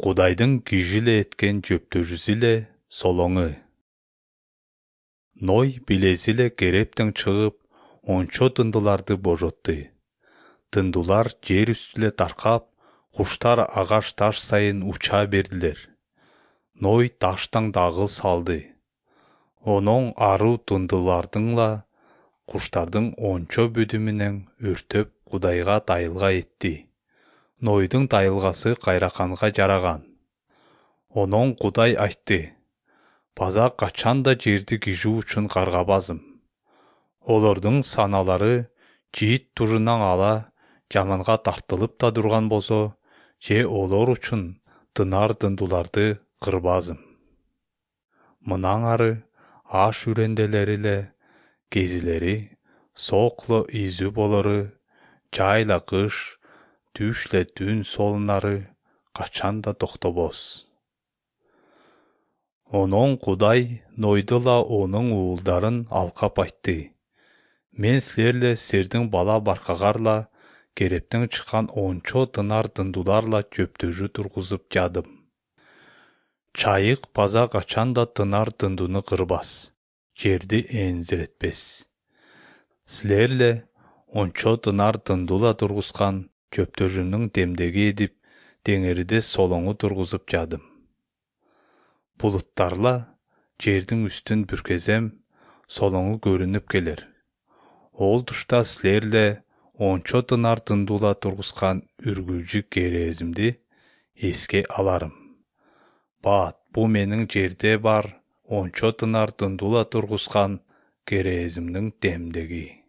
Кудайдын кижиле эткен жөптөжүсү эле солоңу. Ной билези эле керептен чыгып, ончо дындуларды божотту. Дындулар жер үстүлө таркап, куштар агаш таш сайын уча бердилер. Ной таштан дагыл салды. Онон аруу дындулардыңла куштардын ончо бүдү менен өртөп Кудайга дайылга этти. Нойдун дайылгасы кайраканга жараган. Онон Кудай айтты: база качан да жерди кижүү үчүн каргабазым. Олордун саналары жийит тужунан ала жаманга тартылып да турган болсо, же олор үчүн дынар дындуларды кырбазым. Мындан ары аш үренделери эле, кезилери, соокло изүү болору, жайла кыш, түшле түн солунары качан да токтобос. Онон Кудай Нойдула онун уулдарын алкап айтты: мен силерle сердин бала баркагарла, керептен чыккан ончо дынар дындуларла жөптөжү тургузуп жадым. Чайык база качан да дынар дындуну кырбас, жерди энзиретпес. Силерle ончо дынар дындула тургузган жөптөжүнүн демдеги эдип, деңириде солоңу тургузуп жадым. Булуттарла жердин үстүн бүркезем, солоңу көрүнүп келер. Ол тушта силерle ончо дынар дындула тургузган үргүлжү керезимди эске аларым. Бат, бу менин жерде бар ончо дынар дындула тургузган керезимдин демдеги.